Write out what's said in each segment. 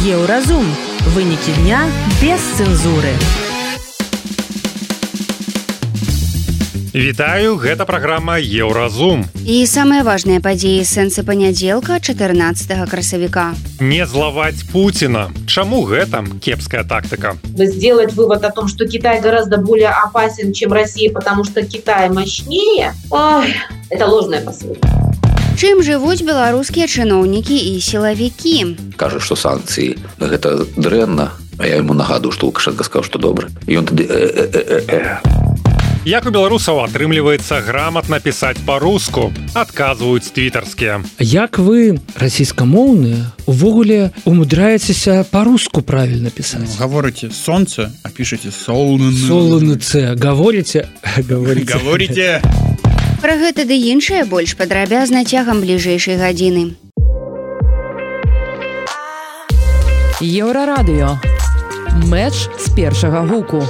Еўразум. Вынікі дня без цэнзуры. Вітаю, гэта праграма Еўразум. І самыя важныя падзеі сэнсы панядзелка 14 красавіка. Не злаваць Путина. Чаму гэта кепская тактика? Сделать вывод о том, что Китай гораздо более опасен, чем Россия, потому что Китай мощнее, это ложная посылка. Чым жывуць беларускія чыноўнікі і сілавікі? Кажа, што санкцыі гэта дрэнна, а я яму нагадую, што Лукашенко сказаў, што добра. І ён тады Як у беларусаў атрымліваецца грамотна пісаць па-руску, адказваюць твітарскія. Як вы, расійскамоўныя, увогуле умудряецеся па-руску правільна пісаць? Гаворыце сонца, а пішаце солнце. Солнце. Гаворыце? Гаворыце. Пра гэта ды іншае больш падрабязна цягам бліжэйшай гадзіны. Еўрарадыё. Мэч з першага гуку.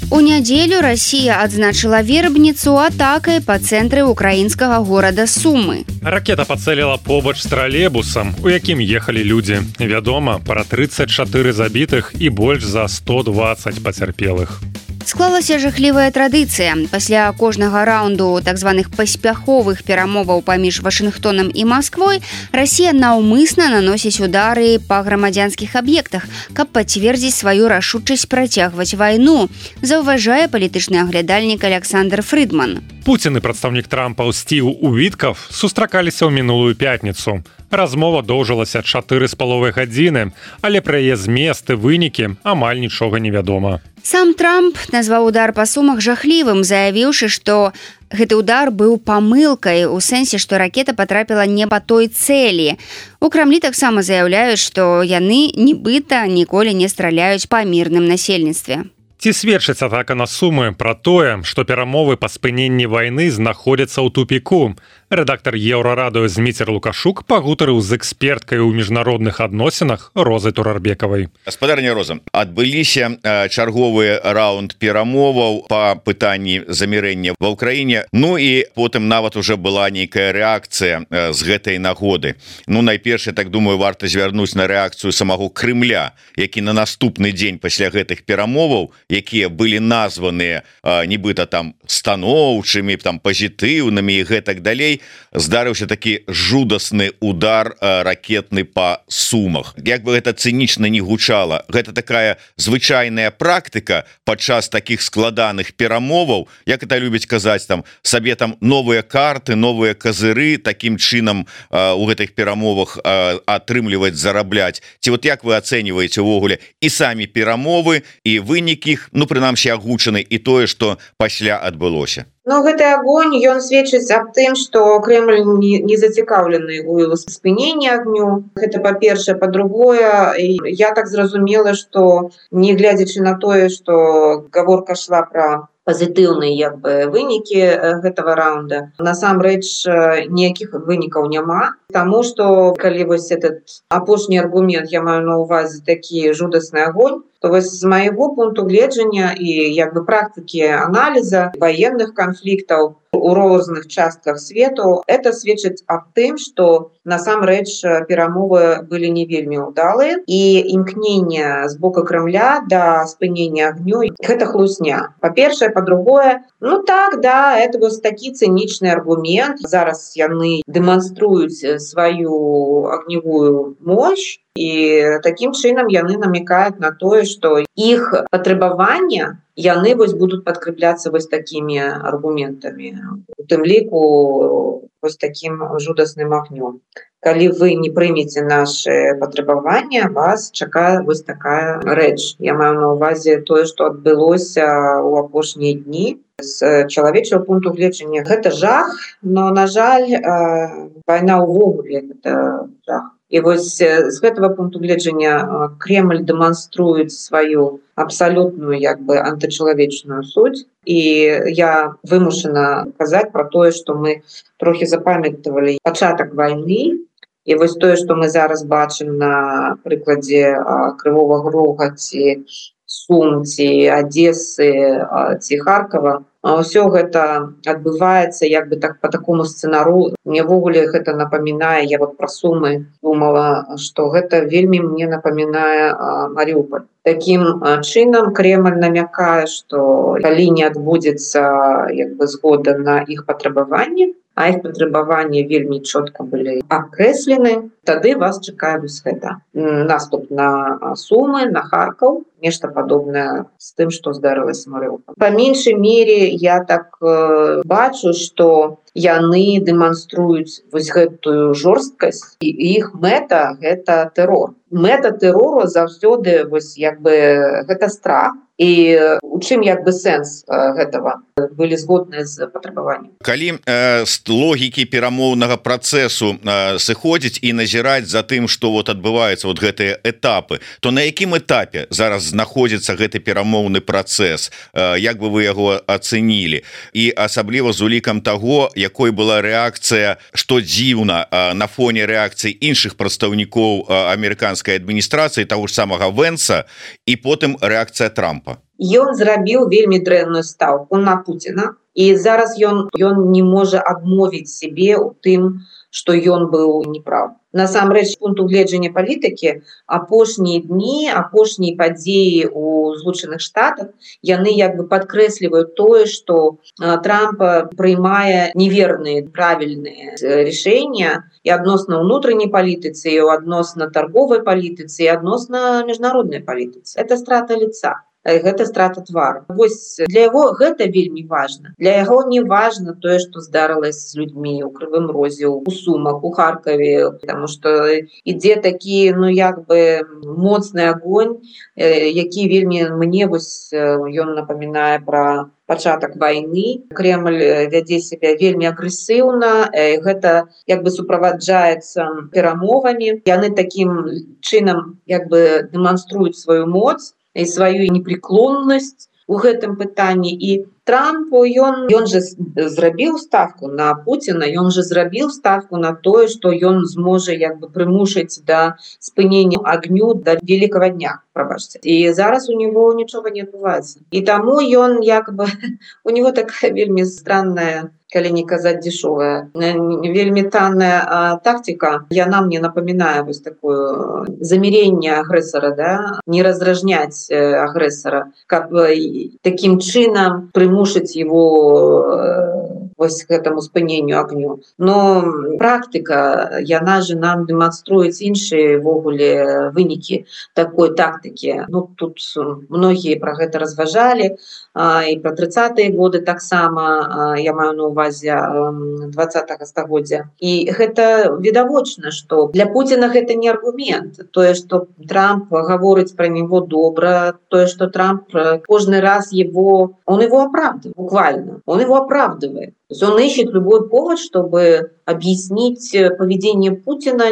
У нядзелю Расія адзначыла вербніцу атакай па цэнтры украінскага горада Сумы. Ракета пацэліла побач з тралейбусам, у якім ехалі людзі. Вядома, пра 34 забітых і больш за 120 пацярпелых. Склалася жахлівая традыцыя. Пасля кожнага раунду так званых паспяховых перамоваў паміж Вашынгтонам і Масквой Расія наўмысна наносіць удары па грамадзянскіх аб'ектах, каб пацвердзіць сваю рашучасць працягваць вайну, заўважае палітычны аглядальнік Александр Фрыдман. Пуцін і прадстаўнік Трампа Стів Увіткав сустракаліся ў мінулую пятніцу. Размова доўжылася 4,5 гадзіны, але пра яе змест і вынікі амаль нічога не вядома. Сам Трамп назваў удар па Сумах жахлівым, заявіўшы, што гэты удар быў памылкай у сэнсе, што ракета патрапіла не па той цэлі. У Крамлі таксама заяўляюць, што яны нібыта ніколі не страляюць па мірным насельніцтве. Ці сведчыць атака на Сумы пра тое, што перамовы па спыненні вайны знаходзяцца ў тупіку? Рэдактар Еўрарадыё Зміцер Лукашук пагутарыў з эксперткай у міжнародных адносінах Розай Турарбекавай. Гаспадарня Роза, адбыліся чарговы раунд перамоваў па пытанні замірэння ва ўкраіне. Ну і потым нават уже была нейкая рэакцыя з гэтай нагоды. Ну, найперш, я так думаю, варта звярнуць на рэакцыю самого Крымля, які на наступны дзень пасля гэтых перамоваў, якія былі названыя нібыта там станоўчымі, там пазітыўнымі і гэтак далей, здарыўся такі жудасны удар ракетны па Сумах. Як бы гэта цынічна не гучала, гэта такая звычайная практыка падчас такіх складаных перамоваў, як это любіць казаць, там сабе там новыя карты, новыя казыры, такім чынам у гэтых перамовах атрымліваць, зарабляць. Ці вот як вы ацэньваеце ўвогуле і самі перамовы, і вынік іх, ну прынамсі агучаны, і тое, што пасля адбылося? Ну, гэты огонь, ён сведчыць аб тым, што Кремль не зацікаўлены ў спыненні агню. Гэта па-першае, па-другое, я так зразумела, што не глядзячы на тое, што гаворка шла пра пазітыўныя як бы вынікі гэтага раунда. Насамрэч ніякіх вынікаў няма, таму што калі вось этот апошні аргумент, я маю на ўвазе такі жудасны агонь, то вось з майго пункту гледжання і як бы практыкі аналіза ваенных канфліктаў у розных частках свету, это сведчыць аб тым, што насамрэч перамовы былі не вельмі ўдалыя, і імкненне з боку Крамля да спынення агню гэта хлусня. Па-першае, па-другое, ну так, да, это вось такі цынічны аргумент. Зараз яны дэманструюць сваю агневую мощь, і такім чынам яны намекаюць на тое, што іх патрабавання яны вось будуць падкрэпляцца вось такімі аргументамі, у тым ліку вось такім жудасным агнём. Калі вы не прымеце нашы патрабавання, вас чакае вось такая рэч. Я маю на ўвазе тое, што адбылося ў апошнія дні. З чалавечага пункту гледжання гэта жах, но, на жаль, вайна ўвогуле гэта жах. І вось з гэтага пункту гледжання Кремль дэманструюць сваю абсалютную як бы антычалавечную суть. І я вымушана казаць пра тое, што мы трохі запамятавалі пачатак вайны. І вось тое, што мы зараз бачым на прыкладзе Крывога Рога ці Сум, ці Адессы, ці Харкова, Ўсё гэта адбываецца як бы так по такому сцэнару. Мне ввогуле гэта напамінае, я вот пра Сумы думала, што гэта вельмі мне напамінае Маріуполь. Такім чынам Кремль намякае, што калі не адбудзецца як бы згода на іх патрабаванні, а іх патрабаванні вельмі чётка былі акрэслены, тады вас чакае вось гэта. Наступ на Сумы, на Харкаў, нешта падобнае з тым, што здарылася Марыуполь. Па меншай мере я так бачу, што яны дэманструюць вось гэтую жорсткасць, і іх мэта гэта тэрор. Мэта тэрору заўсёды вось як бы гэта страх. І у чым як бы сэнс гэтага? Былі згодныя з патрабаваннем. Калі з логікі перамоўнага працэсу сыходзіць і назіраць за тым, што вот адбываецца вот гэтыя этапы, то на якім этапе зараз знаходзіцца гэты перамоўны працэс? Як бы вы яго ацэнілі? І асабліва з улікам таго, якой была рэакцыя, што дзіўна на фоне рэакцыі іншых прадстаўнікоў амерыканскай адміністрацыі, таго ж самага Вэнса, і потым рэакцыя Трампа. Ён зрабіў вельмі дрэнную стаўку на Пуціна, і зараз ён не можа адмовіць сябе ў тым, што ён быў неправ. Насамрэч, з пункту гледжання палітыкі, апошнія дні, апошнія падзеі ў Злучаных Штатах, яны як бы падкрэсліваюць тое, што Трамп прыймае неверныя, правільныя рашэнні і адносна ўнутранняй палітыцы, і адносна тарговай палітыцы, і адносна міжнароднай палітыцы. Это страта лица. Гэта страта твару. Вось для яго гэта вельмі важна. Для яго не важна тое, што здарылася з людзьмі ў Крывым Розе, у Сумах, у Харкаве, таму што ідзе такі, ну як бы моцны агонь, які вельмі мне вось ён напамінае пра пачатак вайны. Кремль вядзе сябе вельмі агрэсіўна, гэта як бы суправаджаецца перамовамі. Яны такім чынам як бы дэманструюць сваю моц і сваю непреклоннасць у гэтым пытанні. І Трамп, ён же зрабіў ставку на Пуціна, ён же зрабіў ставку на тое, што ён зможа як бы прымушаць да спынення агню да Великага дня, прабачце. І зараз у него нічога не адбываецца. І таму ён як бы у него такая вельмі странная, калі не казаць дзешовая, вельмі танная тактика. Яна мне напамінае вось такое заміренне агрэсара, да? Не разражняць агрэсара, каб такім чынам прымушаць его вось к этому спыненню агню. Но практыка, яна же нам дэманструюць іншыя ввогуле вынікі такой тактыкі. Ну, тут многія пра гэта разважалі, і пра 30-е годы таксама, я маю на увазе 20-го стагоддзя. І гэта відавочна, што для Пуціна гэта не аргумент. Тое, што Трамп гаворыць пра него добра, тое, што Трамп кожны раз он его оправдывает, буквально. Он его оправдывает. То есть он ищет любой повод, чтобы объяснить поведение Путина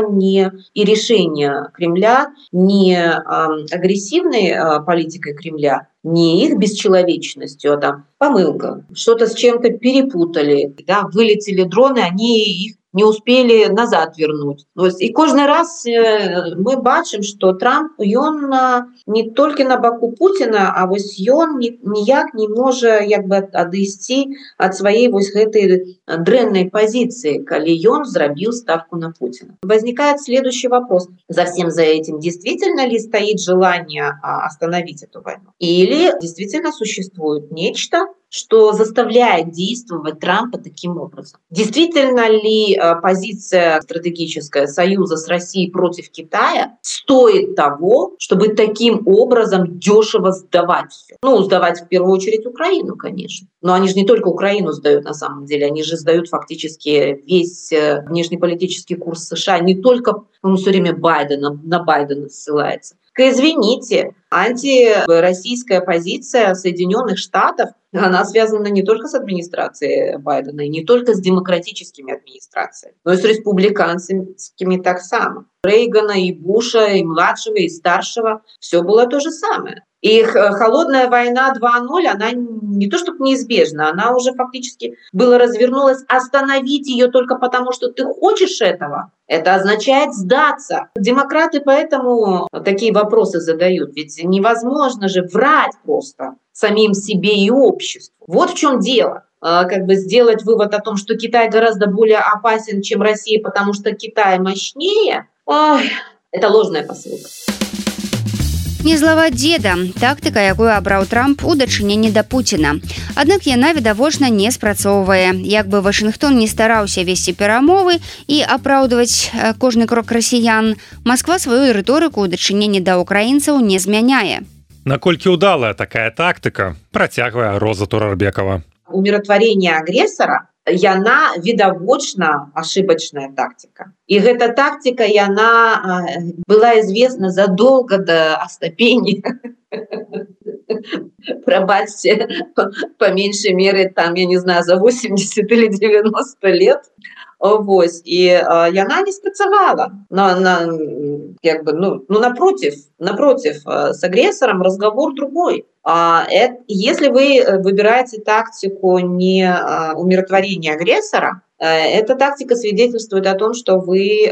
и решение Кремля не агрессивной политикой Кремля, не их бесчеловечностью, а там помылка, что-то с чем-то перепутали, да, вылетели дроны, они их не успели назад вернуть. И каждый раз мы бачим, что Трамп, он не только на боку Путина, а вось он ніяк не может як бы адысці от своей вось гэтай дрэннай позиции, калі он зрабіў ставку на Путина. Возникает следующий вопрос. За всем за этим действительно ли стоит желание остановить эту войну? Или действительно существует нечто, что заставляет действовать Трампа таким образом? Действительно ли позиция стратегическая союза с Россией против Китая стоит того, чтобы таким образом дешево сдавать все? Ну, сдавать в первую очередь Украину, конечно. Но они же не только Украину сдают на самом деле, они же сдают фактически весь внешнеполитический курс США. Не только, он все время на Байдена ссылается. Извините, антироссийская позиция Соединенных Штатов, она связана не только с администрацией Байдена, и не только с демократическими администрациями, но и с республиканскими так само. Рейгана, и Буша, и младшего, и старшего, все было то же самое. И холодная война 2.0, она не то чтобы неизбежна, она уже фактически была развернулась. Остановить ее только потому, что ты хочешь этого, это означает сдаться. Демократы поэтому такие вопросы задают. Ведь невозможно же врать просто самим себе и обществу. Вот в чем дело. Как бы сделать вывод о том, что Китай гораздо более опасен, чем Россия, потому что Китай мощнее, это ложная посылка. Не злаваць деда тактыка, якую абраў Трамп у дачыненні да Пуціна. Аднак яна відавочна не спрацоўвае. Як бы Вашынгтон не стараўся весці перамовы і апраўдваць кожны крок расіян, Масква сваю рыторыку ў дачыненні да украінцаў не змяняе. Наколькі ўдалая такая тактыка, працягвае Роза Турарбекова. Умиротворение агрессора яна відавочна ошибочная тактика. И эта тактика яна была известна задолго до Остапени. Пробачьте, по меньшей мере, там, я не знаю, за 80 или 90 лет. Вось. И яна не спрацавала. Напротив, с агрессором разговор другой. Если вы выбираете тактику не умиротворения агрессора, эта тактика свидетельствует о том, что вы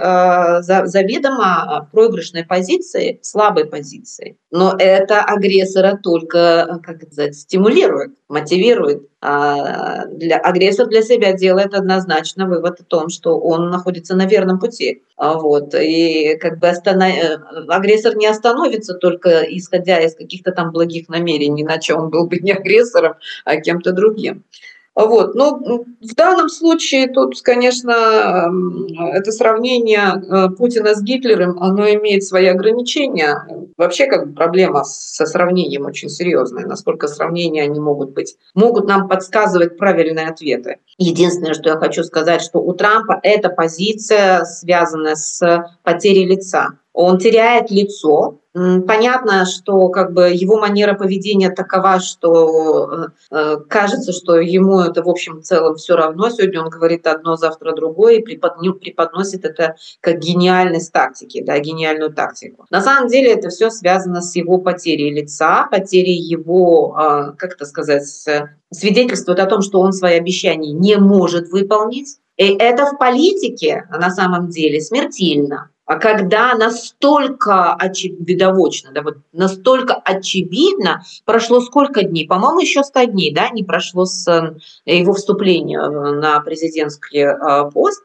заведомо проигрышной позиции, слабой позиции. Но это агрессора только, как сказать, стимулирует, мотивирует. Агрессор для себя делает однозначно вывод о том, что он находится на верном пути. Вот. И как бы агрессор не остановится только исходя из каких-то там благих намерений, иначе он был бы не агрессором, а кем-то другим. Вот. Но в данном случае тут, конечно, это сравнение Путина с Гитлером, оно имеет свои ограничения. Вообще, как бы, проблема со сравнением очень серьезная. Насколько сравнения они могут нам подсказывать правильные ответы. Единственное, что я хочу сказать, что у Трампа эта позиция связана с потерей лица. Он теряет лицо. Понятно, что как бы его манера поведения такова, что кажется, что ему это в общем целом все равно. Сегодня он говорит одно, завтра другое, и преподносит это как гениальность тактики, да, гениальную тактику. На самом деле это все связано с его потерей лица, потерей его, свидетельствует о том, что он свои обещания не может выполнить. И это в политике на самом деле смертельно. А когда настолько настолько очевидно, прошло сколько дней? По-моему, еще 100 дней, да, не прошло с его вступления на президентский пост,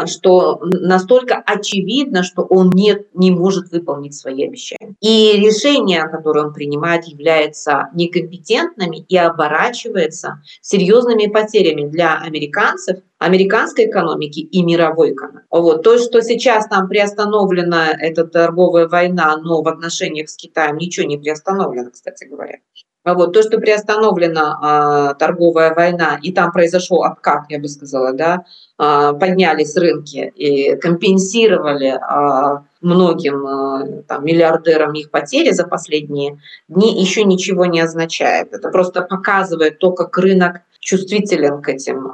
что настолько очевидно, что он не может выполнить свои обещания. И решения, которые он принимает, являются некомпетентными и оборачиваются серьезными потерями для американцев, американской экономики и мировой экономики. Вот. То, что сейчас там приостановлена эта торговая война, но в отношениях с Китаем ничего не приостановлено, кстати говоря. Вот. То, что приостановлена торговая война, и там произошел откат, я бы сказала, да, поднялись рынки и компенсировали многим миллиардерам их потери за последние дни, еще ничего не означает. Это просто показывает то, как рынок чувствителен к этим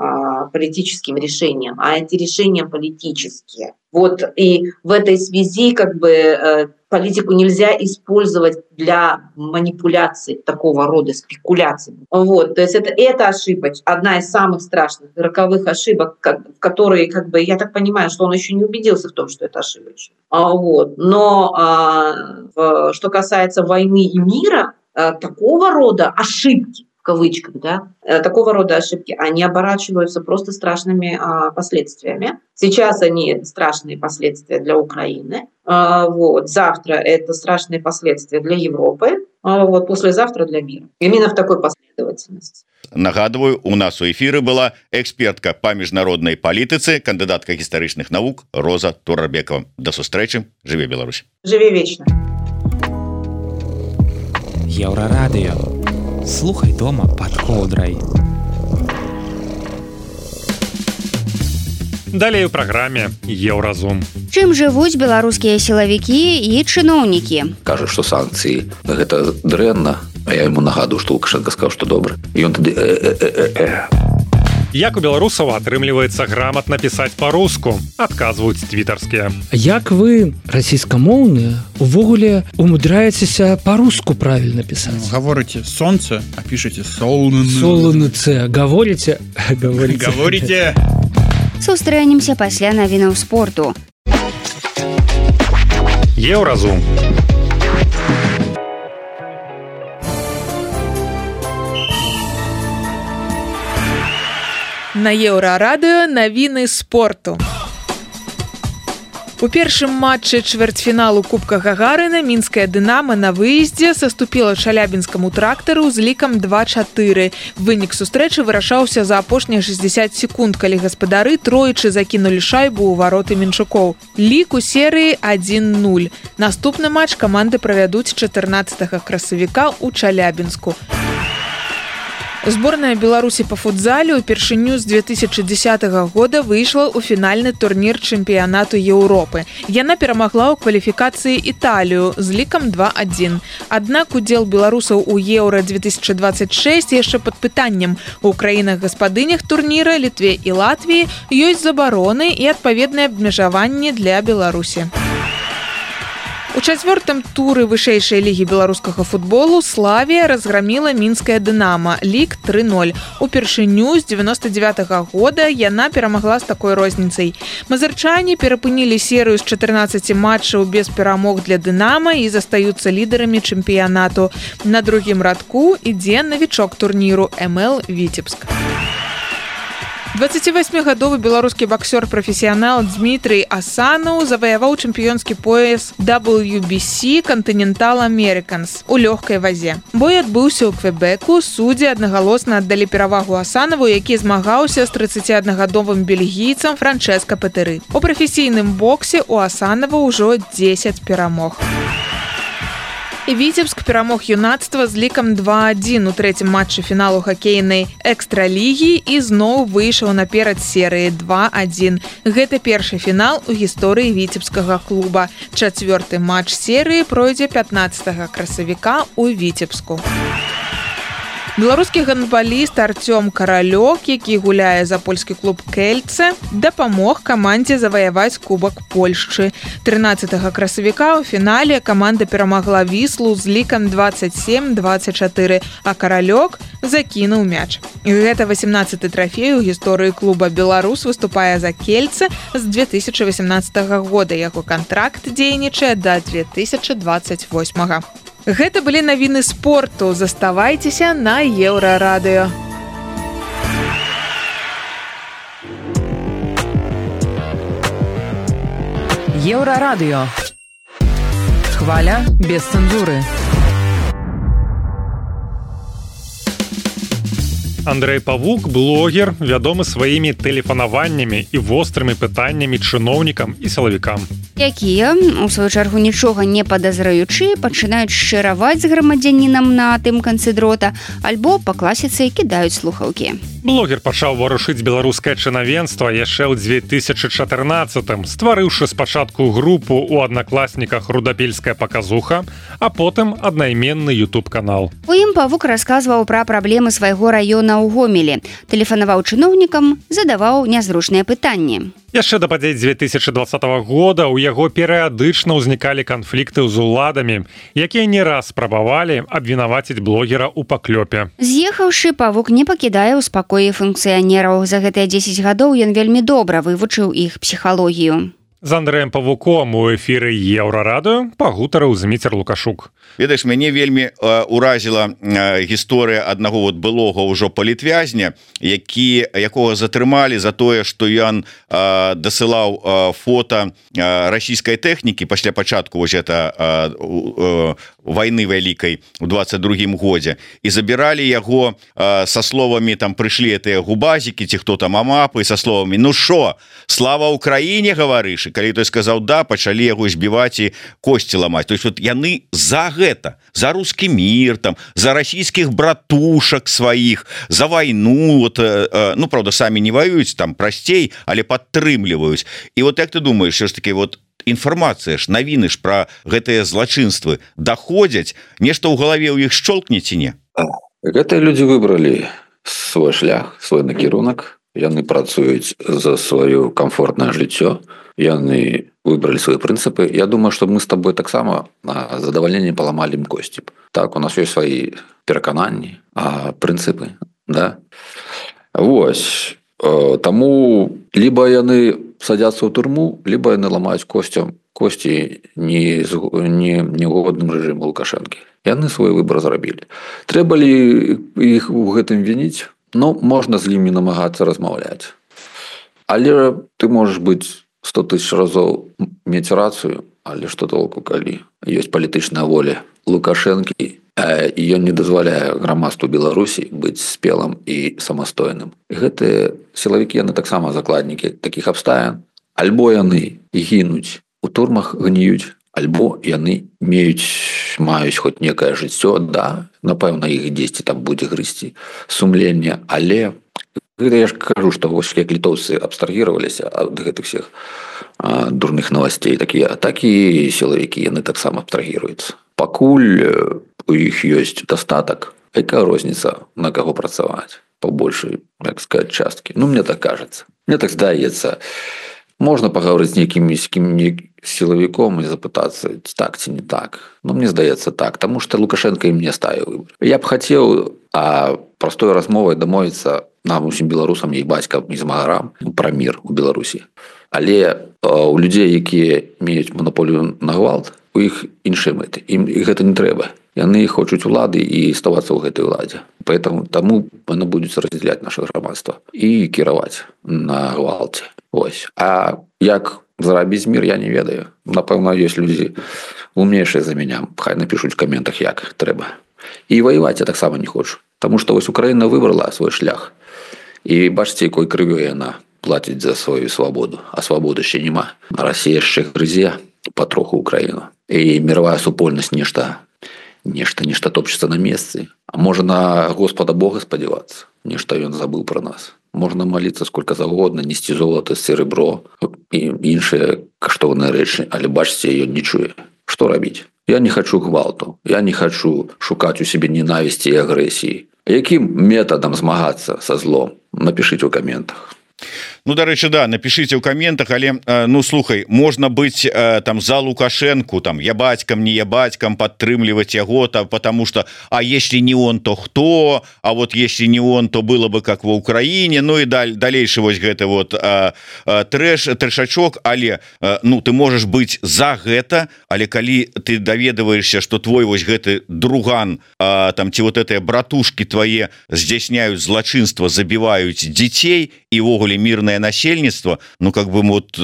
политическим решениям, а эти решения политические. Вот. И в этой связи как бы политику нельзя использовать для манипуляций, такого рода спекуляций. Вот. То есть это ошибка, одна из самых страшных, роковых ошибок, в которые, как бы, я так понимаю, что он еще не убедился в том, что это ошибочно. Вот. Но что касается войны и мира, такого рода ошибки, в кавычках, да, такого рода ошибки, они оборачиваются просто страшными последствиями. Сейчас они страшные последствия для Украины. Вот. Завтра это страшные последствия для Европы. Вот. Послезавтра для мира. Именно в такой последовательности. Нагадываю, у нас у эфиры была экспертка по международной политике, кандидатка гістарычных наук Роза Турарбекова. До сустрэчы. Жыве Беларусь. Жыве вечна. Еўрарадыё. Слухай дома под коўдрай. Далей у праграме Еўразум. Чым жывуць беларускія сілавікі і чыноўнікі? Кажа, што санкцыі гэта дрэнна, а я яму нагадую, што Лукашенко сказаў, што добра. І ён тады Як у беларусаў атрымліваецца грамотна пісаць па-руску, адказваюць твітарскія. Як вы, расійскамоўныя, увогуле умудряецеся па-руску правильно пісаць? Говорите солнце, а пишете солнце. Солнце. Говорите? Говорите. Сустрэнемся пасля навінаў спорту. Еўразум. На Еўрарадыё навіны спорту. У першым матчы чвэрцьфіналу Кубка Гагарына мінская «Дынамо» на выездзе саступіла Чалябінскаму «Трактару» з лікам 2-4. Вынік сустрэчы вырашаўся за апошнія 60 секунд, калі гаспадары тройчы закінулі шайбу ў вароты мінчукоў. Лік у серыі 1-0. Наступны матч каманды правядуць 14 красавіка ў Чалябінску. Зборная Беларусі па футзале ўпершыню з 2010 года выйшла ў фінальны турнір чэмпіянату Еўропы. Яна перамагла ў кваліфікацыі Італію з лікам 2-1. Аднак удзел беларусаў у Еўра-2026 яшчэ пад пытаннем. У краінах-гаспадынях турніра, Літве і Латвіі ёсць забароны і адпаведныя абмежаванні для Беларусі. У чацвёртым туры вышэйшай лігі беларускага футболу «Славія» разграміла мінская «Дынамо», лік 3-0. Упершыню з 99-го года яна перамагла з такой розніцай. Мазырчане перапынілі серыю з 14 матчаў без перамог для «Дынамо» і застаюцца лідарамі чэмпіянату. На другім радку ідзе навічок турніру МЛ «Віцебск». 28-гадовы беларускі баксёр-прафесіянал Дмітрый Асанаў заваяваў чэмпіёнскі пояс WBC Continental Americans у лёгкай вазе. Бой адбыўся ў Квебеку, суддзі аднагалосна аддалі перавагу Асанаву, які змагаўся з 31-гадовым бельгійцам Франчэска Петэры. У прафесійным боксе у Асанава ўжо 10 перамог. І Віцебск перамог юнацтва з лікам 2-1 у трэцім матчы фіналу хакейнай экстралігі і зноў выйшаў наперад серыі 2-1. Гэта першы фінал у гісторыі віцебскага клуба. Чацвёрты матч серыі пройдзе 15 красавіка ў Віцебску. Беларускі гандбаліст Артём Каралёк, які гуляе за польскі клуб «Кельце», дапамог камандзе заваяваць Кубак Польшчы. 13 красавіка ў фінале каманда перамагла Віслу з лікам 27-24, а Каралёк закінуў мяч. І гэта 18-й трафей у гісторыі клуба. Беларус выступае за «Кельце» з 2018 года. Яго кантракт дзейнічае да 2028. Гэта былі навіны спорту. Заставайцеся на Еўрарадыё. Еўрарадыё. Хваля без цэнзуры. Андрэй Павук, блогер, вядомы сваімі тэлефанаваннямі і вострымі пытаннямі чыноўнікам і сілавікам. Якія, у сваю чаргу нічога не падазраючы, пачынаюць шчыраваць з грамадзянінам на тым канцы дрота, альбо па класіцы кідаюць слухаўкі. Блогер пачаў варушыць беларускае чынавенства яшчэ ў 2014-м, стварыўшы спачатку групу ў аднакласніках «Рудапельская паказуха», а потым аднайменны YouTube-канал. У ім Павук расказваў пра праблемы свайго раёна ў Гомелі, тэлефанаваў чыноўнікам, задаваў нязручныя пытанні. Яшчэ да падзей 2020 года ў яго перыядычна ўзнікалі канфлікты з уладамі, якія не раз спрабавалі абвінаваціць блогера ў паклёпе. З'ехаўшы, Павук не пакідае ў спакоі функцыянераў. За гэтыя 10 гадоў ён вельмі добра вывучыў іх псіхалогію. З Андрэем Павуком у эфіры Еўрарадыё пагутарыў Зміцер Лукашук. Ведаеш, мяне вельмі уразіла гісторыя аднаго былога ўжо палітвязня, якога затрымалі за тое, што ён дасылаў фота расійскай тэхнікі пасля пачатку вайны вялікай у 22-м годзе, і забіралі яго са словамі, там прыйшлі гэтыя губазікі ці хто там амапы, са словамі: «Ну шо, слава Украіне, гаварыш?» Калі той сказаў «да», пачалі яго збіваць і косці ламаць. То есть вот яны за гэта, за рускі мір, там, за расійскіх братушак сваіх, за вайну, вот, ну, правда, самі не ваююць, там прасцей, але падтрымліваюць. І вот як ты думаеш, що ж таки вот інфармацыя ж, навіны ж пра гэтыя злачынствы даходзяць, нешта ў галаве ў іх шчолкне ці не? Гэтыя людзі выбралі свой шлях, свой накірунак, яны працуюць за сваё комфортнае жыццё, яны выбралі свои прынцыпы. Я думаю, что мы с тобой таксама на задавальненне паламалі ім косці. Так, у нас ёсць свои перакананні, прынцыпы, да? Вось. Таму либо яны садятся ў турму, либо яны ламаюць косці негодным рэжыму Лукашэнкі. Яны свой выбор зрабілі. Трэба ли іх у гэтым вініць? Ну, можна з імі намагацца размаўляць. Але ты можаш быць 100 тысяч разоў мець рацыю, але што толку, калі ёсць палітычная воля Лукашэнкі, і ён не дазваляе грамадству Беларусі быць спелым і самастойным. І гэтыя сілавікі, яны таксама закладнікі такіх абставін. Альбо яны гінуць у турмах, гніюць, альбо яны маюць хоць некае жыццё, да, напэўна, іх дзесьці там будзе грызці сумленне, але я ж кажу, што вось як літоўцы абстрагіраваліся ад гэтых всех дурных новостей, так і сілавікі, яны таксама абстрагіруюцца. Пакуль у іх ёсць дастатак, якая розніца, на каго працаваць по большай, як сказать, часткі. Ну, мне так кажется. Мне так здаецца. Можна пагаварыць з нейкім сілавіком і запытацца, так ці не так. Ну, мне здаецца так, таму што Лукашенко ім не ставіў выбор. Я б хацеў простой размовай дамовіцца нам, усім беларусам, і бацькам, і змагарам пра мір у Беларусі. Але у людзей, якія меюць манаполію на гвалт, у іх іншыя мэты. Ім гэта не трэба. Яны хочуць улады і ставацца ў гэтай уладзе. Таму яны будуць раздзяляць наша грамадства і кіраваць на гвалце. Ось. А як зарабіць мір, я не ведаю. Напэўна, ёсць людзі умнейшыя за мяне. Хай напішуць у каментах, як трэба. І ваяваць я таксама не хочу. Таму што вось Украіна выбрала свой шлях. І бачыце, якой крывёй яна плаціць за сваю свабоду. А свабоды ще нема. Расія яшчэ грызе патроху Украіну. І мировая супольнасць нешта топчется на месцы. А можа на Господа Бога спадзявацца. Нешта ён забыў пра нас. Можна маліцца сколько завгодна, несці золата, серебро і іншыя каштоўныя рэчы, але бачыце, ён не чуе. Што рабіць? Я не хочу гвалту, я не хочу шукаць у себе ненавісці і агрэсіі. Якім метадам змагацца са злом? Напішыце ў каментах. Ну, дарэчы, да, напишите ў каментах, але ну слухай, можна быць там за Лукашенко, там я бацькам, не я бацькам, падтрымліваць яго, потому что а если не он, то хто? А вот если не он, то было бы как в Украине. Ну и далейшы вось гэты вот трэшачок, але ну ты можешь быць за гэта, але калі ты даведваешься, что твой вось гэты друган там ці вот этыя братушки твае здзяйсняюць злачынства, забіваюць дзяцей і ввогуле мирное насельніцтва, ну как бы вот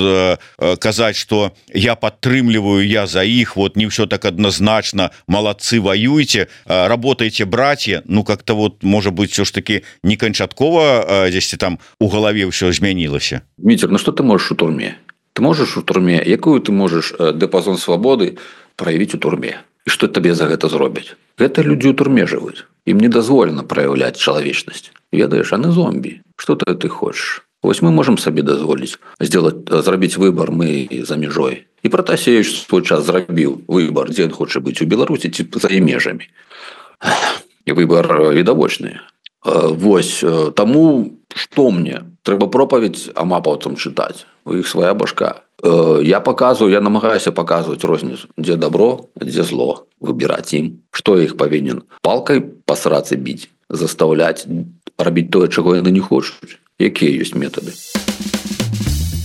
казаць, что я падтрымліваю, я за іх, вот не все так однозначно, молодцы, воюйте, работайте, братья, ну как-то вот может быть все ж таки не канчаткова здесь там у голове все змянілася. Дмитрий, ну что ты можешь у турме? Ты можешь у турме, якую ты можешь дыпазон свободы проявить у турме? І што табе за гэта зробяць? Гэта людзі ў турме жывуць. Ім не дазволена праяўляць чалавечнасць. Ведаеш, яны зомбі. Што ты хочаш? Вось мы можам сабе дазволіць зрабіць выбар мы за мяжой. І Пратасевіч свой час зрабіў выбар, дзе ён хоча быць у Беларусі ці за межамі. І выбар відавочны. Вось, таму што мне? Трэба пропаведь амапаўцам чытаць. У іх свая башка. Я показываю, я намагаюся показывать розніцу, дзе добро, дзе зло, выбирать ім, што іх павінен палкай па срацы біць, заставляць рабіць тое, чаго яны не хочуць. Якія ёсць метады?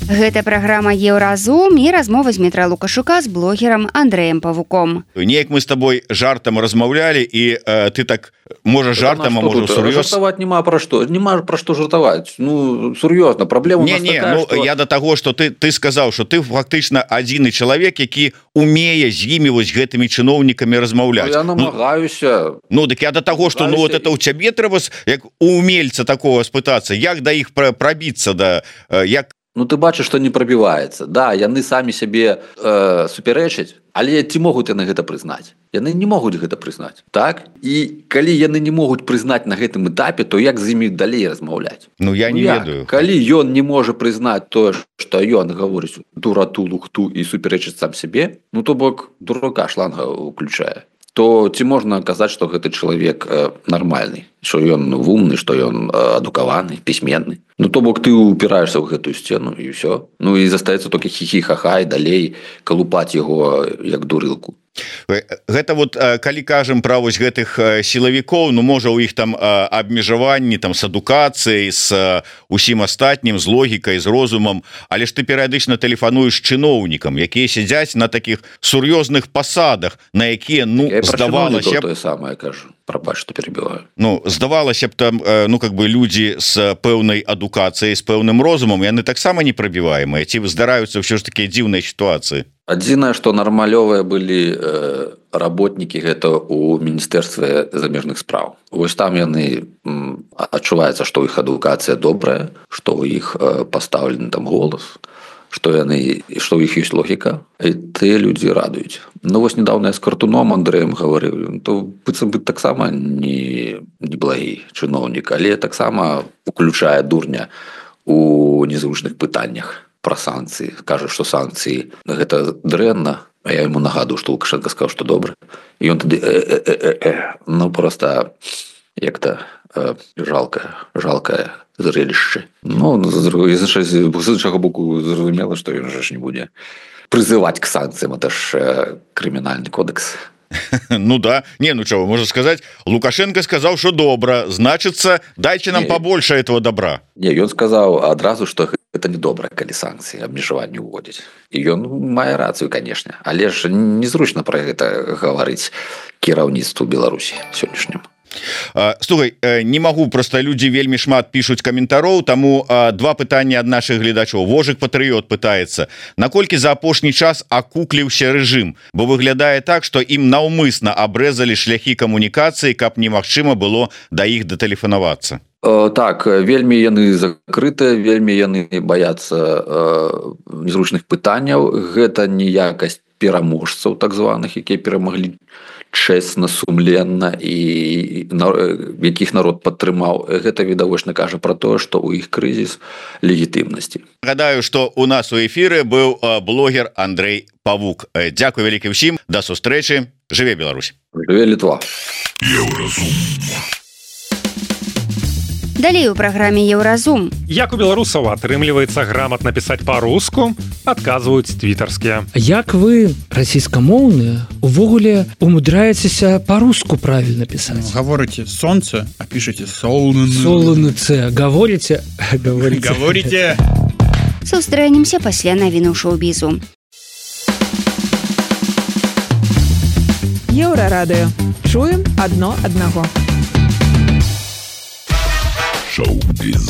Гэта праграма Еўразум і размова з Дмітра Лукашука з блогерам Андрэем Павуком. Неяк мы з табой жартам размаўлялі, і ты так можаш жартам, а можа сур'ёз. Жартаваць няма пра што. Няма пра што жартаваць. Ну, сур'ёзна, праблема у нас такая, ну, што... Я да таго, што ты сказаў, што ты фактычна адзіны чалавек, які умее з імі вось гэтымі чыноўнікамі размаўляць. Я намагаюся. Ну, дык я да таго, што ну, вот это ў цябе трэба, як у умельца такого спытацца, як да іх прабіцца, да, як... Ну, ты бачыш, што не прабіваецца. Да, яны самі сябе супярэчаць, але ці могуць яны гэта прызнаць? Яны не могуць гэта прызнаць, так? І калі яны не могуць прызнаць на гэтым этапе, то як з імі далей размаўляць? Ну, я не ведаю. Калі ён не можа прызнаць тое, што ён гаворыць дурату, лухту і супярэчыць сам сябе, ну, то бок дурака шланга ўключае. то ці можна казаць, што гэты чалавек нармальны, што ён вумны, што ён адукаваны, пісьменны. Ну то бок ты упіраешься ў гэтую сцену і ўсё. Ну і застаецца толькі хі-хі-ха-ха і далей калупаць яго як дурылку. Гэта вот калі кажам пра вось гэтых сілавікоў, ну можа у іх там абмежаванні там з адукацыяй, з усім астатнім, з логікай, з розумам, але ж ты перыядычна тэлефануеш чыноўнікам, якія сядзяць на такіх сур'ёзных пасадах, на якія здавалася тое самае кажу. Прабач, што перебіваю. Ну здавалася б там как бы людзі з пэўнай адукацыяй, з пэўным розумам, яны таксама непрабіваемыя, ці здараюцца ўсё ж такія дзіўныя сітуацыі. Адзінае, што нармалёвыя былі работнікі гэта ў міністэрстве замежных спраў. Вось там яны адчуваецца, што ў іх адукацыя добрая, што ў іх пастаўлены там голас, што ў іх ёсць логіка, і тыя людзі радуюць. Ну вось недавно я з Картуном Андрэем гаварыў, то быццам бы таксама не благі чыноўнік, але таксама уключае дурня у незручных пытаннях пра санкцыі, кажа, што санкцыі гэта дрэнна, а я яму нагадую, што Лукашенко сказаў, што добра. І ён тады ну проста як-то жалкае зрелішча. Ну, з іншага боку зразумела, што ён ж не будзе прызываць к санкцыям, это ж крымінальны кодекс. Ну да, ну чего, можно сказать, Лукашенко сказал, что добро, значится, дайте нам побольше этого добра. Не, ён сказал адразу, что это не добра, калі санкции абмежаванне уводзіць. І ён мае рацыю, конечно, але ж незручна про гэта гаварыць кіраўніцтву Беларусі сённяшнім. Слухай, не магу, просто людзі вельмі шмат пішуць каментароў, таму два пытання ад нашых гледачоў. Вожык Патрыёт пытаецца, наколькі за апошні час акукліўся рэжым, бо выглядае так, што ім наўмысна абрэзалі шляхі камунікацыі, каб немагчыма было да іх датэлефанавацца. Так, вельмі яны закрытыя, вельмі яны баяцца незручных пытанняў. Гэта не якасць пераможцаў так званых, якія перамаглі чэсна, сумленна і якіх народ падтрымаў. Гэта відавочна кажа пра тое, што ў іх крызіс легітымнасці. Гадаю, што у нас у эфіры быў блогер Андрэй Павук. Дзякуй вялікі ўсім, да сустрэчы. Жыве Беларусь. Жыве Літва. Далей у праграме Еўразум. Як у беларусаў атрымліваецца грамотна пісаць па-руску, адказваюць твітарскія. Як вы, расійскамоўныя, увогуле умудряецеся па-руску правільна пісаць? Гаворыце сонца, а пішаце солнце. Солнце. Гаворыце? Гаворыце. Сустрэнемся пасля навіну шоу-бізу. Еўрарадыё. Чуем адно аднаго. Шоу-біз.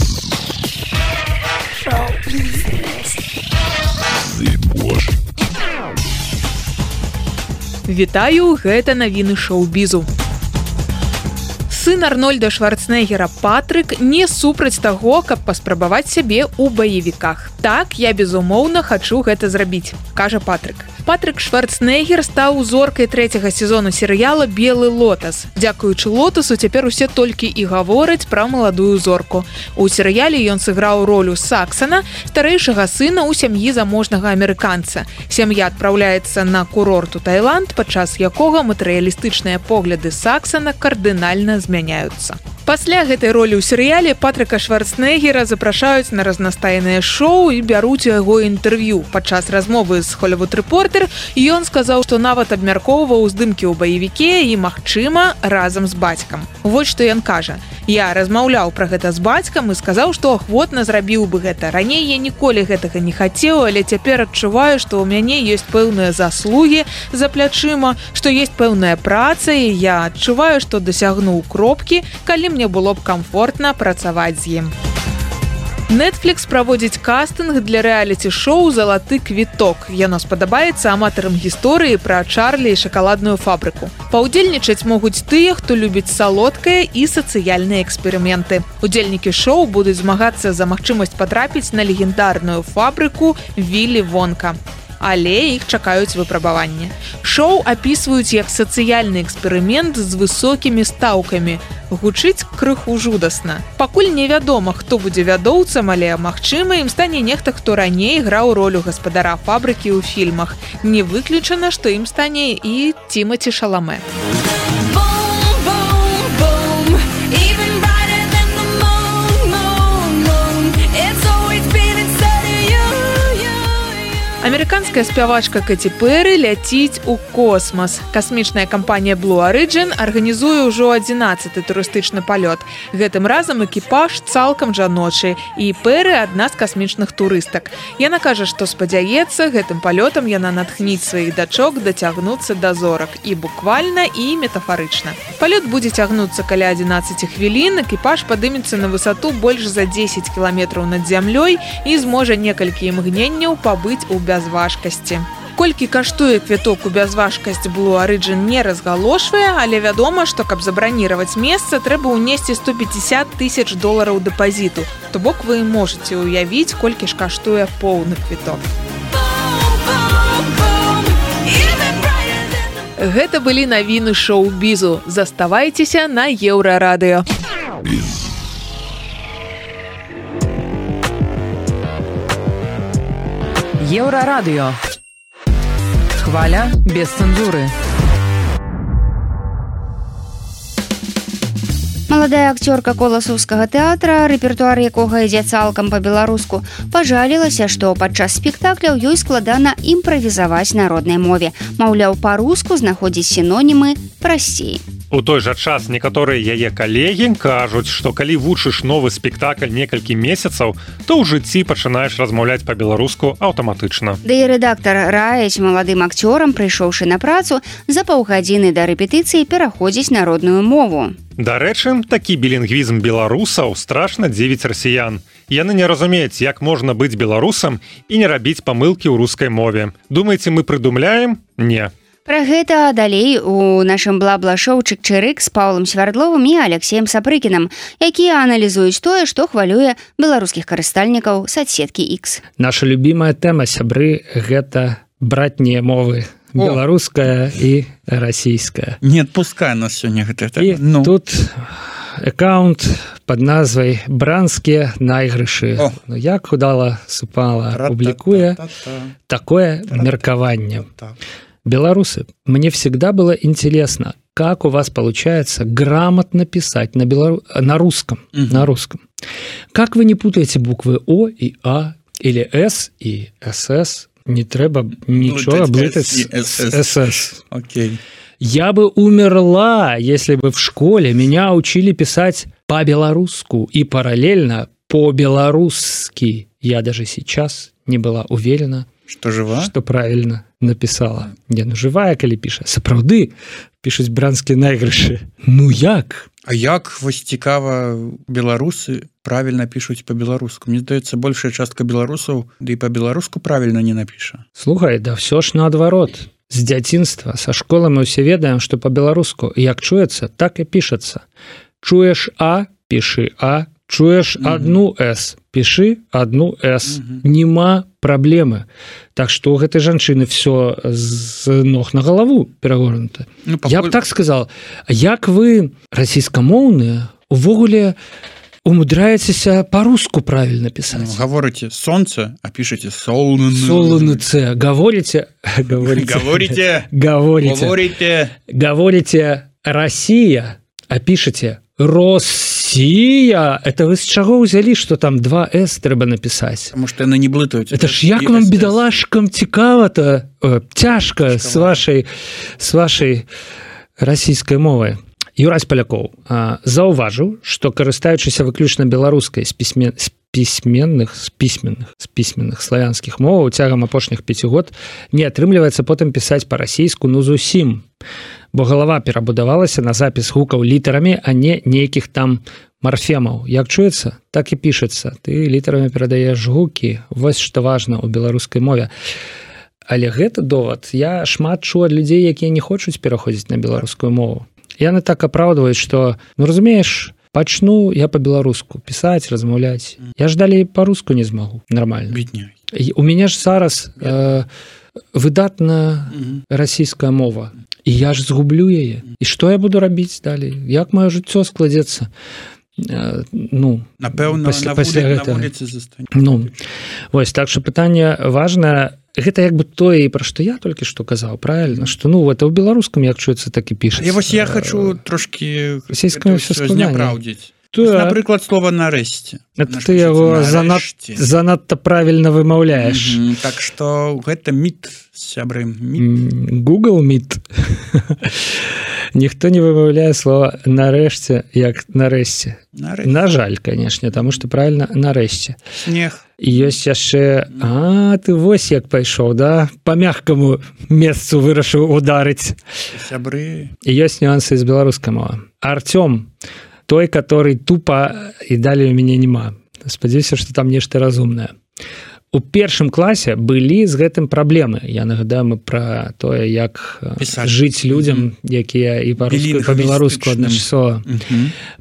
Вітаю, гэта навіны шоу-бізу. Сын Арнольда Шварцэнеггера Патрык не супраць таго, каб паспрабаваць сябе ў баевіках. Так, я безумоўна хачу гэта зрабіць, кажа Патрык. Патрык Шварцэнеггер стаў зоркай 3-го сезону серыяла «Белы лотас». Дзякуючы лотасу цяпер усе толькі і гавораць пра маладую зорку. У серыяле ён сыграў ролю Саксана, старэйшага сына ў сям'і заможнага амерыканца. Сям'я адпраўляецца на курорт у Таіланд, падчас якога матэрыялістычныя погляды Саксана кардынальна змяняюцца. Пасля гэтай ролі ў серыяле Патрыка Шварцэнеггера запрашаюць на разнастайныя шоу і бяруць у яго інтэрв'ю. Падчас размовы з Hollywood Reporter ён сказаў, што нават абмяркоўваў здымкі ў баевіке і, магчыма, разам з бацькам. Вось што ён кажа. Я размаўляў пра гэта з бацькам і сказаў, што ахвотна зрабіў бы гэта. Раней я ніколі гэтага не хацеў, але цяпер адчуваю, што ў мяне ёсць пэўныя заслугі за плячыма, што ёсць пэўная праца, і я адчуваю, што дасягнуў кропкі, калі мне было б камфортна працаваць з ім. Netflix праводзіць кастынг для рэаліці-шоу «Залаты квіток». Яно спадабаецца аматарам гісторыі пра Чарлі і шакаладную фабрыку. Паўдзельнічаць могуць тыя, хто любіць салодкае і сацыяльныя эксперыменты. Удзельнікі шоу будуць змагацца за магчымасць патрапіць на легендарную фабрыку Віллі Вонка. Але іх чакаюць выпрабаванні. Шоу апісваюць як сацыяльны эксперымент з высокімі стаўкамі. Гучыць крыху жудасна. Пакуль невядома, хто будзе вядоўцам, але, магчыма, ім стане нехта, хто раней граў ролю гаспадара фабрыкі ў фільмах. Не выключана, што ім стане і Тімаці Шаламэ. Амерыканская спявачка Кэці Пэры ляціць у космас. Касмічная кампанія Blue Origin арганізуе ўжо 11-й турыстычны палёт. Гэтым разам экіпаж цалкам жаночы, і Пэры адна з касмічных турыстак. Яна кажа, што спадзяецца, гэтым палётам яна натхніць сваіх дачок дацягнуцца да зорак і буквальна, і метафарычна. Палёт будзе цягнуцца каля 11 хвілін, экіпаж падымецца на высоту больш за 10 кіламетраў над зямлёй і зможа некалькі імгненняў пабыць у бязважкасці. Колькі каштуе квіток у бязважкасць Blue Origin не разгалошвае, але вядома, што каб забраніраваць месца, трэба ўнесці $150 000 дэпазіту. То бок вы можаце ўявіць, колькі ж каштуе поўны квіток. Гэта былі навіны шоу-бізу. Заставайцеся на Еўрарадыё. Еўрарадыё. Хваля без цэнзуры. Маладая акцёрка коласаўскага тэатра, рэпертуар якога ідзе цалкам па-беларуску, пажалілася, што падчас спектакляў ёй складана імправізаваць на роднай мове. Маўляў, па-руску знаходзіць сінонімы прасцей. У той жа час некаторыя яе калегі кажуць, што калі вучыш новы спектакль некалькі месяцаў, то ў жыцці пачынаеш размаўляць па-беларуску аўтаматычна. Да і рэдактар раіць маладым акцёрам, прыйшоўшы на працу, за паўгадзіны да рэпетыцыі пераходзіць на родную мову. Дарэчы, такі білінгвізм беларусаў страшна дзівіць расіян. Яны не разумеюць, як можна быць беларусам і не рабіць памылкі ў рускай мове. Думаеце, мы прыдумляем? Не. Пра гэта далей у нашым бла-бла-шоу «Чык-чырык» з Паўлам Свярдловым і Алексеем Сапрыкінам, якія аналізуюць тое, што хвалюе беларускіх карыстальнікаў садсеткі X. Наша любімая тэма, сябры, гэта братнія мовы. Беларуская і расійская. Не адпускай нас сёння гэта. І тут аккаунт пад назвай «Бранскія найгрышы». Як удала супала публікуе такое меркаванне. Белорусы, мне всегда было интересно, как у вас получается грамотно писать на русском. На русском. Как вы не путаете буквы О и А, или С и СС? Не треба ничего блытать с СС. Окей. Я бы умерла, если бы в школе меня учили писать по-белорусски и параллельно по-белорусски. Я даже сейчас не была уверена, что жива? Что правильно написала. Не, ну жывая, калі піша. Сапраўды пішуць бранскія найгрышы. Ну як? А як вось цікава, беларусы правильно пішуць по-беларуску? Мне здаецца, большая частка беларусаў да і по-беларуску правильно не напіша. Слухай, да все ж наадварот. З дзяцінства, са школы мы ўсе ведаем, што по-беларуску як чуецца, так і пішацца. Чуеш А, пішы А. Чуеш одну С, піши одну С. Нема праблемы. Так што у гэтай жанчыны все з ног на галаву перагорнута. Ну, я б так сказал, як вы, расійскамоўныя, увогуле умудряецеся по-руску правильно писать? Ну, говорите солнце, а пишете солнце. Солнце. Говорите Россия, а пишете Россия. Это вы с чего взяли, что там 2 С треба написать? Потому что она не блытают. Это ж як вам, бедолашкам, цікава-то, тяжко с вашей российской мовой. Юрась Поляков заўважыў, што карыстаючыся выключна беларускай з пісьменных славянскіх моваў цягам апошніх 5 год не атрымліваецца потым пісаць па-расійску ну зусім, бо галава перабудавалася на запіс гукаў літарамі, а не нейкіх там марфемаў. Як чуецца, так і пішацца. Ты літарамі перадаеш гукі. Вось што важна ў беларускай мове. Але гэта довад. Я шмат чуў ад людзей, якія не хочуць пераходзіць на беларускую мову. Яны так апраўдваюць, што, ну, разумееш, пачну я па-беларуску пісаць, размаўляць. Я ж далей па-руску не змагу. Нормально. Бедняй. У мяне ж зараз выдатная расійская мова і я ж згублю яе і што я буду рабіць далей, як маё жыццё складзецца? Ну, напэўна, на вуліцы застане. Ну, вось, так што пытанне важнае. Гэта як бы тое, пра што я толькі што казаў, правильно, што ну это ў беларускам як чуецца, так і пішацца. Вось я хочу трошкі зняпраўдзіць. Напрыклад, слова нарэшце. Ты яго занадта правільна вымаўляеш. Так што гэта міт, сябры. Google міт. Ніхто не вымаўляе слова нарэшце як нарэшце. На жаль, канешне, таму што правільна нарэшце. Снег. Ёсць яшчэ, ты вось як пайшоў, да? Па мягкаму месцу вырашыў ударыць. Сябры. І ёсць нюансы з беларускай мовы. Артём, той, который тупо і далей у мяне няма. Спадзяюся, што там нешта разумнае. У першым класе былі з гэтым праблемы. Я нагадаю мы пра тое, як жыць людзям, якія і па-беларуску адначасова.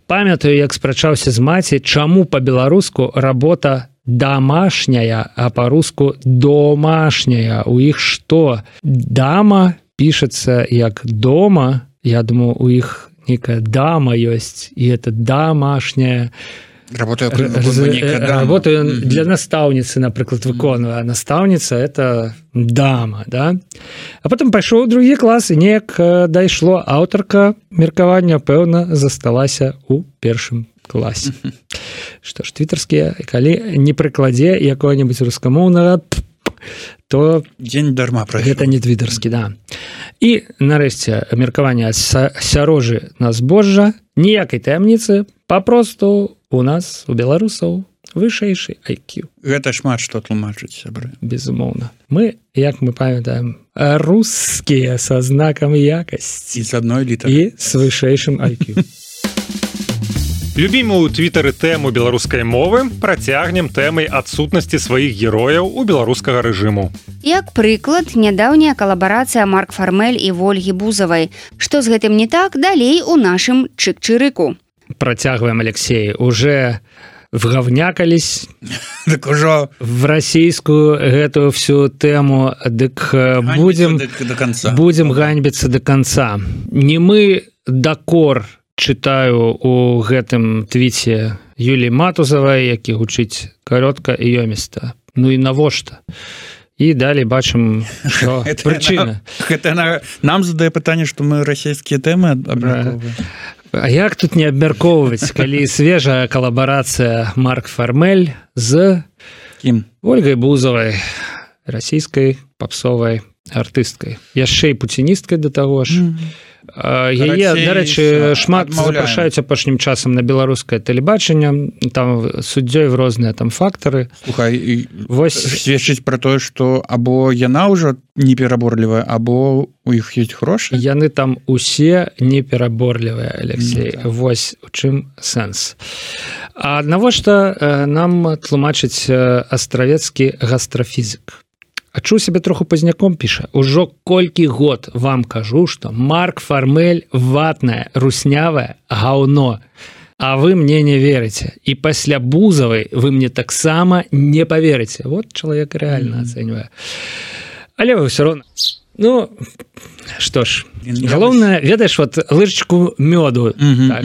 Памятаю, як спрачаўся з маці, чаму па-беларуску работа домашняя, а па-руску домашняя. У іх што? Дама пішацца як дома. Я думаю, у іх некая дама ёсць, і это домашняя. Работаю для настаўніцы, напрыклад, выконваю. А настаўніца – это дама, да? А потым пайшоў у другі клас, і неяк дайшло. Аўтарка меркавання, пэўна, засталася ў першым класе. Што ж, твітарскія, калі не прыкладзе якога-небудзь рускамоўнага, то дзень дарма прайшоў. Гэта не твітарскі, да. І, нарэшце, меркаванне сярожы на збожжа, ніякай таямніцы, папросту у нас, у беларусаў, вышэйшы IQ. Гэта шмат што тлумачыць, сябры. Безумоўна. Мы, як мы памятаем, рускія са знакам якасці. І з адной літары. І з вышэйшым IQ. Любімую ў твітары тэму беларускай мовы працягнем тэмай адсутнасці сваіх герояў у беларускага рэжыму. Як прыклад, нядаўняя калабарацыя Марк Фармель і Вольгі Бузавай. Што з гэтым не так, далей у нашым чык-чырыку. Працягваем, Алексей. Уже вгавнякались так ужо в расійскую гэтую всю тэму, дык будем ганьбіцца до конца. Не мы дакор чытаю у гэтым твіце Юліі Матузавай, які гучыць каротка і ёміста. Ну і навошта? І далей бачым, што прычына. Гэта нам задае пытанне, што мы расійскія тэмы абмяркоўваем. А як тут не абмяркоўваць, калі свежая калабарацыя Марк Фармель з кім? Ольгай Бузавай, расійскай папсовай артысткай. Яшчэ і пуціністкай да таго ж. Яе, дарэчы, шмат запрашаюць апошнім часам на беларускае тэлебачанне, там суддзёй в розныя там фактары. Слухай, сведчыць пра тое, што або яна ўжо непераборлівая, або у іх ёсць грошы? Яны там усе непераборлівыя, Алексей. Вось у чым сэнс. А навошта нам тлумачыць астравецкі гастрафізік? Адчуў сябе троху пазняком, піша. Ужо колькі год вам кажу, што Марк Фармель ватнае, руснявае гаўно. А вы мне не верыце. І пасля Бузавай вы мне таксама не паверыце. Вот чалавек рэальна ацэньвае. Але вы ўсё роўна. Ну, што ж, галоўнае, ведаеш, вот лыжачку мёду. Так.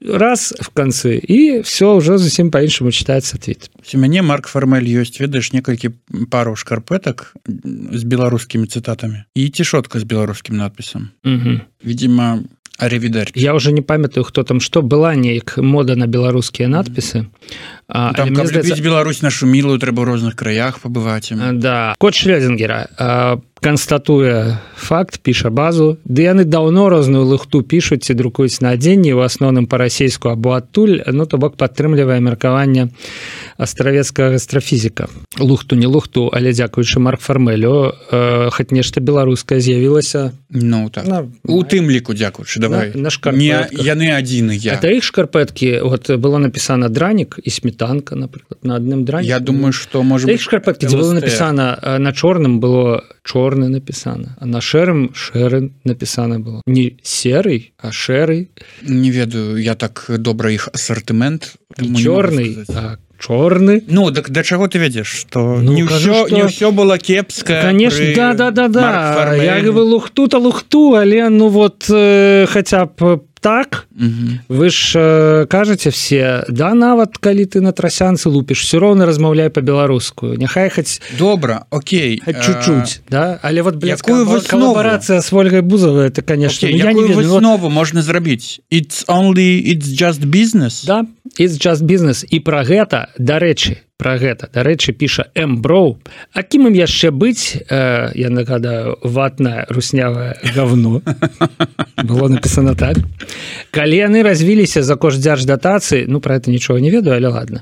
Раз в канцы, і все ўжо зусім па-іншаму чытаецца твіт. У мяне Марк Фармель ёсць, ведаеш, некалькі параў шкарпэтак з беларускімі цытатамі і цішотка з беларускім надпісам. Видимо, аревідерчі. Я уже не памятаю, хто там што. Была неяк мода на беларускія надпісы. Там, каб любіць Беларусь нашу мілую, трэба ў розных краях пабываць. Да. Кот Шлёзінгера канстатуе факт, піша базу, ды яны даўно розную лухту пішуць ці друкуюць на адзенні, у асноўным па-расейску або адтуль, ну, то бок падтрымлівае меркаванне астравецкага гастрафізіка. Лухту, не лухту, але дзякуючы Марк Фармелю, хоць нешта беларускае з'явілася. Ну, так. У тым ліку, дзякуючы, давай. На шкарпэтках. Яны адзіныя. А іх шкарпэткі, вот было напісана дранік і сметанка, напрыклад, на адным драніку. Я думаю, што, можа быць, іх шкарпэткі, дзе было напісана, на чорным было чорны напісана, а на шэрым шэры напісана было. Не серый, а шэрый. Не ведаю, я так добра іх асартымент. Не чорный, а чорны. Ну так да чаго ты ведзеш, што не ўсё было кепска. Конечно, да. Я говорю лухту, але ну вот хотя б так, вы ж кажаце все, да, нават калі ты на трасянцы лупіш, все роўна размаўляй па-беларускую. Няхай хоць добра, окей, чуть-чуть, да, але вот блядская коллаборация с Ольгой Бузовой, это, конечно, okay, я не ведаю. Якую выснову можна зрабіць? It's just business? Да, it's just business. І пра гэта, дарэчы, піша Эмброу. А кім ім яшчэ быць, я нагадаю, ватнае руснявае говно. Было написано так. Калі яны развіліся за кошт дзярждатацыі, ну, пра гэта нічога не ведаю, але ладно.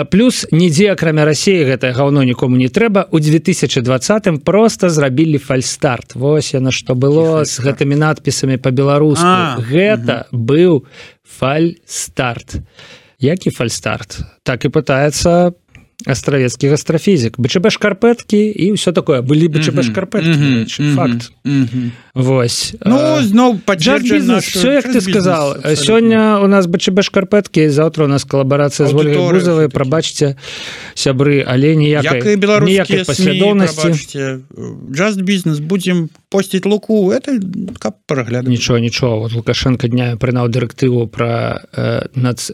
Плюс нідзе, акрамя Расіі, гэтае говно нікому не трэба. У 2020-м просто зрабілі фальстарт. Вось яно што было з гэтымі надпісамі па-беларуску. Гэта быў фальстарт. Які фальстарт? Так і пытаецца астравецкі гастрафізік. БЧБ шкарпэткі і ўсё такое. Былі БЧБ шкарпэткі. Факт. Вось. Ну, зноў падзерджа наш... Всё, як ты сказал. Сёння у нас БЧБ шкарпэткі, заўтра у нас калабарацыя з Ольгай Бузовай. Прабачце, сябры, але ніякай паслядоўнасці. Just business. Будзем посціць луку. Это каб праглядаць. Нічого. Вот Лукашенко днями прынаў дырэктыву пра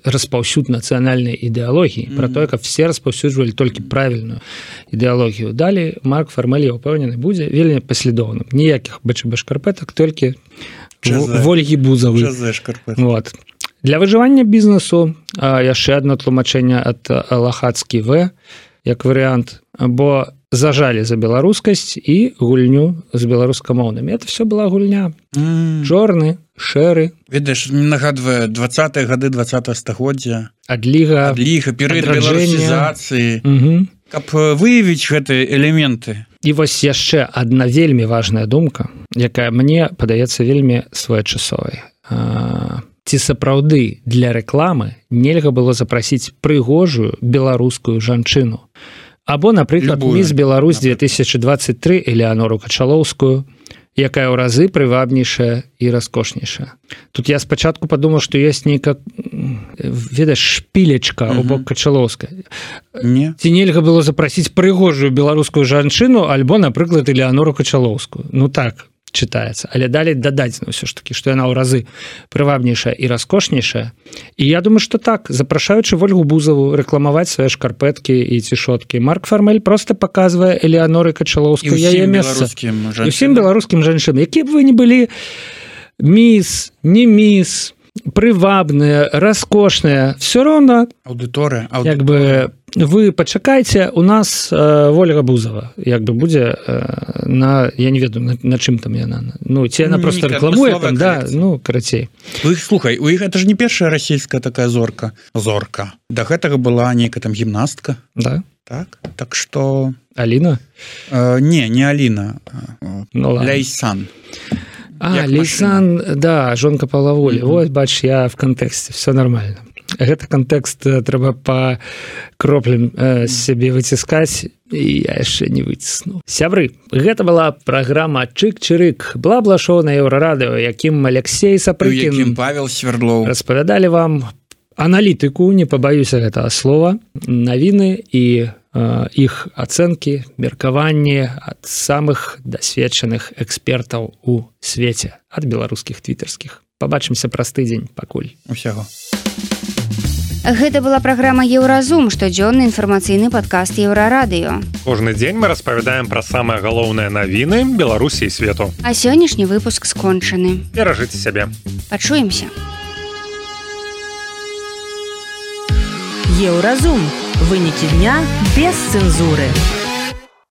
распаўсюд нацыянальнай ідэалогіі. Пра тое, каб все распаўсюджвалі толькі правільную ідэалогію. Далі Марк Фармэль, я ўпэўнены, будзе вельмі паслядоўным. Ніякіх БЧБ шкарпэтак, толькі Ольгі Бузавы. Вот. Для выжывання бізнесу яшчэ адно тлумачэнне ад Лахацкі В, як варыянт, бо зажалі за беларускасць і гульню з беларускамоўнымі. Это все была гульня. Чорны, шэры. Ведаеш, нагадвае 20-е гады 20-го стагоддзя. Адліга, перыяд беларусізацыі. Каб выявіць гэтыя элементы. І вось яшчэ адна вельмі важная думка, якая мне падаецца вельмі своечасовай. Ці сапраўды для рэкламы нельга было запрасіць прыгожую беларускую жанчыну. Або, напрыклад, міс Беларусь 2023 Элеанору Качалоўскую, якая ў разы прывабнейшая і раскошнейшая. Тут я спачатку падумаў, што ёсць нейка, ведаеш, шпілечка ў бок Качалоўскай. Ці нельга было запрасіць прыгожую беларускую жанчыну, альбо, напрыклад, Элеанору Качалоўскую. Ну так чытаецца. Але далей дадаць, ну, ўсё ж такі, што яна ў разы прывабнейшая і раскошнейшая. І я думаю, што так, запрашаючы Ольгу Бузову рэкламаваць свае шкарпэткі і цішоткі, Марк Фармэль проста паказвае Элеаноры Качалоўскую яе месца. І ўсім беларускім жанчынам, якія б вы не былі міс, не міс, прывабныя, раскошныя, все роўна аўдыторыя. Як бы вы пачакайце, у нас Ольга Бузова як бы будзе на, я не ведаю, на чым там яна. Ну, ці яна просто рэкламуе там, да, ну, карацей. Слухай, у іх это ж не першая расійская такая зорка. Да гэтага была нейкая там гімнастка. Да. Так што... Аліна? Не Аліна. Ну, Ляйсан. Лейсан, да, жонка Павла Волі. Вось, бач, я в кантэксце, все нормально. Гэта кантэкст трэба па кроплям сябе выціскаць, і я яшчэ не выцісну. Сябры, гэта была праграма Чык-чырык, бла-бла-шоу на Еўрарадыё, якім Алексей Сапрыкін, якім Павел Свердлоў распавядалі вам аналітыку, не пабаюся гэтага слова, навіны і іх ацэнкі, меркаванні ад самых дасведчаных экспертаў у свеце, ад беларускіх твітарскіх. Пабачымся праз тыдзень, пакуль. Усяго. Гэта была праграма Еўразум, штодзённы інфармацыйны падкаст Еўрарадыё. Кожны дзень мы распавядаем пра самыя галоўныя навіны Беларусі і свету. А сённяшні выпуск скончаны. Беражыце сябе. Пачуемся. Еўразум. Вынікі дня без цэнзуры.